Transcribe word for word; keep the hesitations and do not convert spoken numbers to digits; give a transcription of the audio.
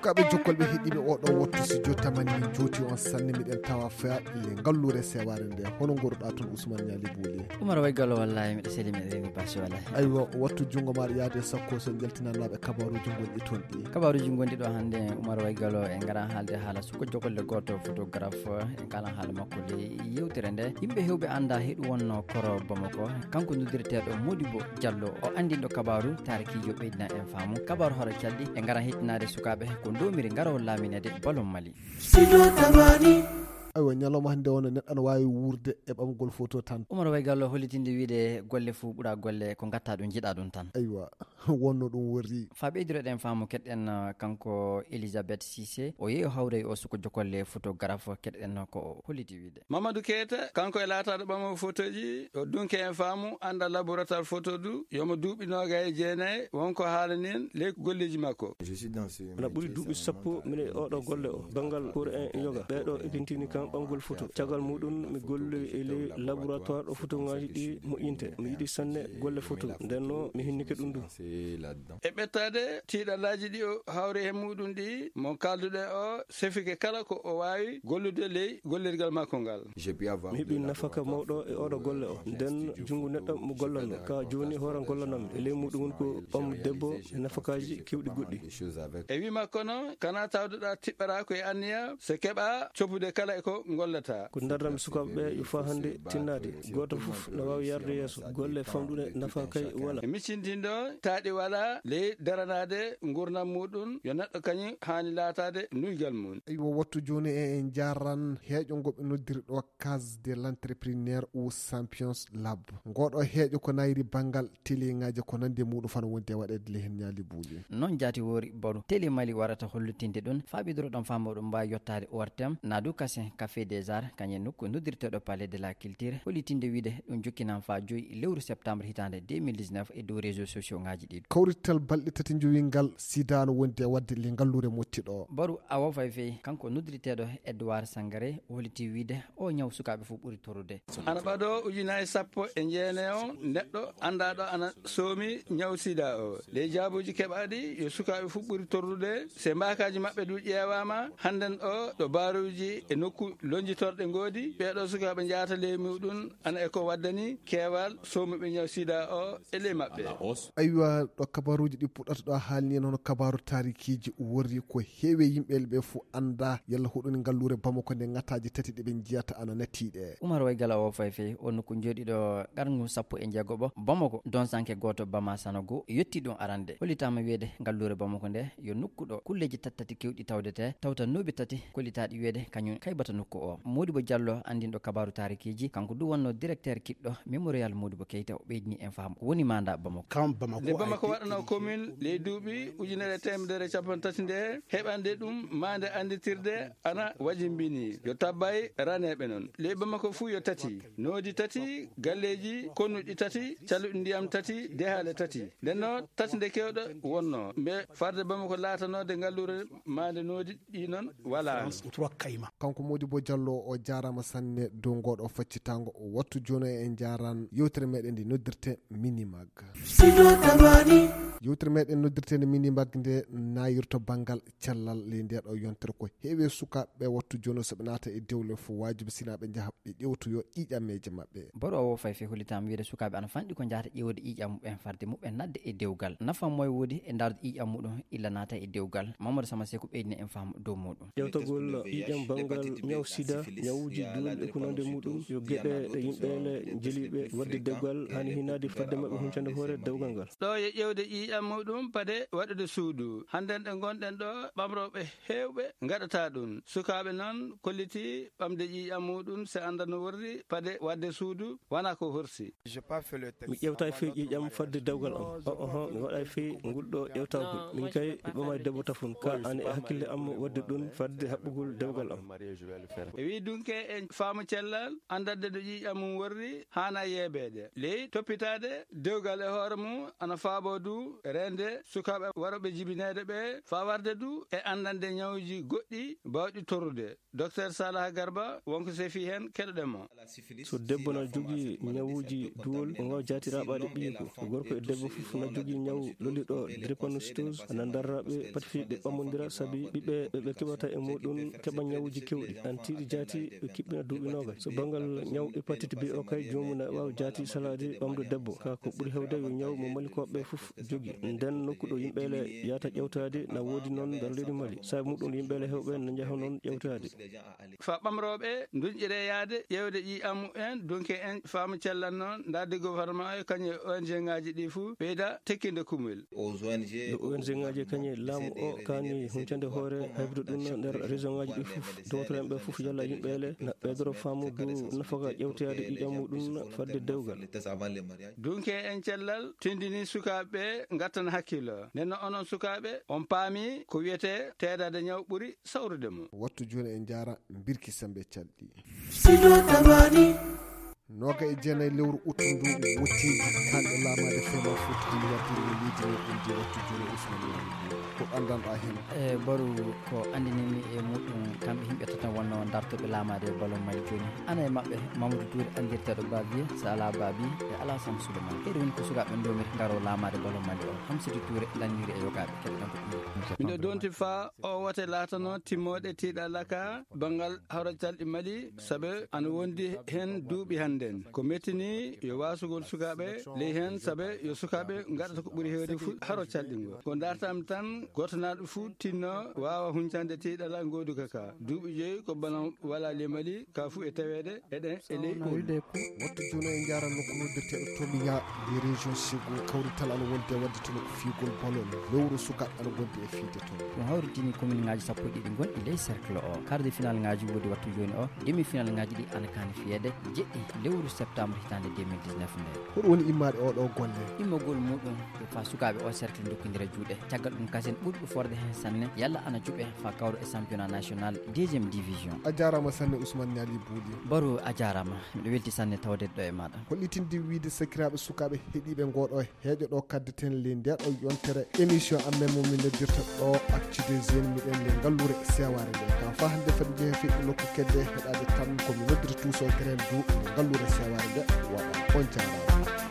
Kaɓe jokkol ɓe heɗiiɓe oɗo wotto si jo tamani min jooti on sanne miɗen tawa faaɗi le ngalluure sewaare nde hono ngorɗa toon Ousmane Ñaali Buuli. Umar Waygalo, wallahi miɗo seli miɗo reni basi wallahi. Aywa, wattu junngo maaɗa yaade sakko so njaltinanaaɓe kabaruuji gonɗi toon ɗi. Kabaruuji gonɗi ɗo hannde Umar Waygalo en ngara haalde haala suko jogolle gooto photographe en kalan haala makko le yewtere nde. Yimɓe hewɓe annda heɗu wonno koro Bamako. Kanko noddirteeɗo Modibo Diallo o anndinɗo kabaru taarikiijo ɓeydina en faamu. Kabaru hoɗo calɗi e ngara hettinaade sukaaɓe ko ndomiri ngara o laaminede balon Mali. Aywa, ñalawma hannde o no neɗɗo ana waawi wuurde e ɓamgol foto tan. Umar Waygallo hollitinde wiide golle fuu ɓura golle ko ngatta ɗum, jiɗa ɗum tan. Aywa, wonno ɗum worri. Fa ɓeydiroɗen faamu keɗɗen, uh, kanko Elisabeth Cissé, o yehi o hawray o suko jokolle photographe, keɗɗen ko o holliti wiide. Mamadou Keita, kanko e laataɗo ɓamo fotoji, o dunke en faamu, anda laboratoire photo du, yomo duuɓi noga e jeenayi, wonko haalanen ley golleji makko. Ana ɓuri duuɓi sappo mine e oɗo golle o, banngal pour en yoga. Ɓeɗo ekintini kam ɓamgol photo. Caggal muɗum mi golli e ley laboratoire ɗo photoŋaaji ɗi moƴƴinte. Mi yiɗi sanne golle photo. Nden no mi hinnike ɗum du. E ɓettaade tiiɗallaaji ɗi o hawri he muɗum ɗi, mo kalduɗen o sefike kala ko o waawi gollude ley gollirgal makko ngal. Mi heɓi nafaka mawɗo e oɗo golle o. Nden junngo neɗɗo mo gollanno. Ka jooni hoore gollanammi. E ley muɗum woni ko ɓam debbo e nafakaaji kewɗi goɗɗi. E wi makko noon, kana tawduɗa tiɓɓara ko e anniya, so keɓa copude kala e ko gollata. Ko darnammi sukaaɓe ɓe yo faa hannde tinnaade. Gooto fof no waawi yarde yeeso. Golle famɗuɗe nafa kay wala. E miccintindo taaɗi wala ley daranaade ngurnam muɗum, yo neɗɗo kañum haani laataade nuygal mum. Aywa, wattu jooni e en njaran heeƴo ngo ɓe noddiri ɗo Case de l'entrepreneur ou Champions Lab. Ngoɗo heeƴo ko nayri banngal teliŋaaji ko nandi e muɗum fano wondi e waɗeede le hen ñaali buuli. Noon jaati woori baru teli Mali warata hollitinde ɗum, faaɓidoro ɗon faamu ɗum mbaawi yottaade O R T M, Nadou Kassin, Café des Arts, kañum e nokku noddirteeɗo Palais de la Culture, hollitinde wiide ɗum jokkinan faa joyi lewru septembre hitaande deux mille dix-neuf e dow réseaux sociaux ŋaaji ɗi. Kawrital balɗe tati njowi ngal sida no wondi e waɗde le ngalluure motti ɗo. Baru awo fay fay, kanko noddirteeɗo Edouard Sangaré, o holliti wiide o ñaw sukaaɓe fof ɓuri torrude. Ana ɓado ujunaaji sappo e jeenayi o neɗɗo anndaɗo ana soomi ñaw sida o. Ley jaabuuji keɓaaɗi yo sukaaɓe fof ɓuri torrude. Se mbaakaaji maɓɓe du ƴeewaama, hannden o ɗo baaruuji e nokku lonjitorɗe ngoodi, ɓeeɗo sukaaɓe njaata ley muɗum ana e ko waddani keewal soomuɓe ñaw sida o e ley maɓɓe. Aywa, ɗo kabaruuji ɗi puɗɗata ɗo haalni en hono kabaaru taarikiiji worri ko heewi yimɓe ɓe fof annda yalla hoɗoni ngalluure Bamako nde ŋataaji tati ɗi ɓe njiyata ana nati ɗe. Umar Waygala o fay fay o nokku jooɗiɗo qarngu sappo e jeegoɓo Bamako, donsanke gooto Bama Sanogo, yetti ɗum arande. Hollitaama wiyeede ngalluure Bamako nde yo nokku ɗo kulleeji tati tati kewɗi tawdete, tawta nooɓi tati kollitaaɗi wiyeede kañum kaybata nokku o. Modibo Diallo, anndinɗo kabaaru taarikiiji, kanko du wonno directeur kiɗɗo Mémorial Modibo Keita, o ɓeydini en faamu ko woni manda Bamako. Nde Bamako waɗano commune ley duuɓi ujunere e teemedere e capanɗe tati nde, heɓande ɗum maande annditirde ana wajimbini. Yo tabbay raneeɓe noon. Ley Bamako fuu yo tati, noodi tati, galleeji konnuɗi tati, caluɗi ndiyam tati, dehaale tati. Nden noon, tati nde kewɗo wonno. Mbe farde Bamako laatanode ngalluure maande noodi ɗi noon wala. Kanko Modibo Diallo o jaarama sanne dow ngoɗo faccitango. Wattu jono en jaran yewtere meɗen ndi noddirte Minimag. Yewtere meɗen noddirte nde Minimag nde nayirto banngal cellal ley nde ɗo yontere ko heewi sukaaɓe wattu jono so ɓe naata e dewle fof waajibi sina ɓe njaha ɓe ƴewtoyo ƴiiƴammeeje maɓɓe. Baro o fay fay hollitaama wiide sukaaɓe ana fanɗi ko njahata ƴeewde ƴiiƴam muɓɓen farde muɓɓen nadde e dewgal. Nafa moy woodi e ndaarde ƴiiƴam muɗum illa naata e dewgal. Mamadou Sama Seku ɓeydina en faamu dow muɗum. Ƴewtagol ƴiiƴam banngal ñaw sida, ñawuuji duwal e ko nande muɗum, yo geɗe ɗe yimɓe ne jeliiɓe waɗde dewgal, haani hinaade fadde maɓɓe huncande hoore dewgal ngal. Ɗo e ƴewde ƴiiƴam muɗum pade waɗude suudu. Hannden ɗe ngonɗen ɗo, ɓamrooɓe heewɓe ngaɗata ɗum. Sukaaɓe noon kolliti ɓamde ƴiiƴam muɗum se annda no worri pade waɗde suudu, wona ko horsi. Mi ƴewtaay fey ƴiiƴam fadde dewgal am. O, oho, mi waɗaay fey ngol ɗo ƴewtagol. Min kay, mi ɓamaay debbo tafon. Ka an e hakkille am waɗde ɗum fadde haɓɓugol dewgal am. E wi dunke en faamu cellal, anndande no ƴiiƴam mum worri, haana yeebeede. Ley toppitaade dewgal e hoore mum, ana faabo du reende sukaaɓe warooɓe jibineede ɓe, faa warde du e anndande ñawuuji goɗɗi baawɗi torrude. Docteur Salah Garba, wonko sefi heen, keɗoɗen mo. So debbo na jogii ñawuuji duwol, o waawa jaati raɓaade ɓiyiiko. Gorko e debbo fof na jogii ñaw lolliɗo drépanocytose, ana darra ɓe pati fii ɓe ɓammondira, sabi ɓiɓɓe ɓe ɓe keɓata e muɗum keɓa ñawuuji keewɗi. Ana tiiɗi jaati ɓe kiɓɓina duuɓi noogas. So banngal ñaw hépatite B o kay, joomum na waawa jaati salaade ɓamɗo debbo. Ka ko ɓuri heewde yo ñaw mo Malikooɓe fof jogii. Nden nokku ɗo yimɓe le yahata ƴewtaade na woodi noon nder leydi Mali. Sabi muɗum yimɓe le heewɓe na njaha noon ƴewtaade. Fa ɓamrooɓe ndunƴire yaade ƴeewde ƴiiƴam mumen, dunke en faamu cellal noon, ndaarde gouvernement e kañum e O N G ŋaaji ɗi fuu ɓeyda tekkinde kumel. Yo O N G ŋaaji e kañum e laamu o kaani huncande hoore, haybude ɗum nder région ŋaaji ɗi fof. Dowtoren ɓe fof yalla yimɓe le na ɓeydoro faamu du nafaka ƴewtoyaade ƴiiƴam muɗum fadde dewgal. Dunke en cellal tindini sukaaɓe ɓe ngattana hakkilo. Nden no onon sukaaɓe, on paami ko wiyetee teedaade ñaw ɓuri sawrude mo. Wattu jooni en njaara mbirki sembe calɗi. Sino tamani. Nooga e jeenayi lewru ut ndu wotti kanɗe laamaade fema footi hino waɗde no leydi ndi ɗum je wattu jooni Ousmane Yoro. Ko anndanɗaa heen? E baru ko anndinimi e muɗum kamɓe yimɓe tata wonno dartoɓe laamaade ballon Mali jooni. Ana e maɓɓe Mamadou Touré anndirteeɗo Bavier, Sala Babi e Alassane Souleymane. Ɓeɗo woni ko sukaaɓe ndomiri ngaro laamaade ballon Mali o. Hamsidou Touré lanniri e yogaaɓe keɗoɗen ko ɗum. Miɗo donti fa o wote laatano timmooɗe tiiɗalla ka banngal hawra calɗi Mali, sabe ana wondi heen duuɓi hannden. Ko mettini yo waasugol sukaaɓe ley heen, sabe yo sukaaɓe ngaɗata ko ɓuri heewde fu haro calɗingo. Ko dartam tan gooto naɗo fu tinno waawa huncande tiiɗalla ngooduka ka. Duuɓi joyi ko bana wala ley Mali, ka fu e taweede eɗen e ley on. Wattu jooni en njaara nokku noddirteeɗo Tomiya, les régions Ségou, kawrital ana wonde wadde toon ko fiigol ballon. Lewru sukaaɓe ana gondi e fiide toon. Ɗum hawritini commune ŋaaji sappo e ɗiɗi gonɗi ley cercle o. Quart de finale ŋaaji woodi wattu jooni o. Demi finale ŋaaji ɗi ana kaani fiyeede jeɗɗi lewru septembre hitaande deux mille dix-neuf nde. Ko ɗum woni immaade oo ɗoo golle? Immagol muɗum ko fa sukaaɓe o cercle ndokkindira juuɗe. Caggal ɗum kasen ɓurɗo forde heen sanne, yalla ana juɓe fa kawro e championnat national deuxième division. A jaaraama sanne Ousmane Niali Bouli. Baro a jaaraama. Miɗo welti sanne tawde ɗo e maaɗa. Hollitinde wiide sakiraaɓe sukaaɓe heɗiiɓe ngoo ɗoo heeƴo ɗo kaddeten ley nde ɗo yontere émission amen mo min noddirta ɗo Actu des Jeunes, miɗen le ngallure sewaare nde. Ka fa hannde fadi jehe feƴƴi nokku kedde heɗaade tan ko mi noddirta Touso Keren du le ngallure sewaare nde. Waɗa on jaaraama.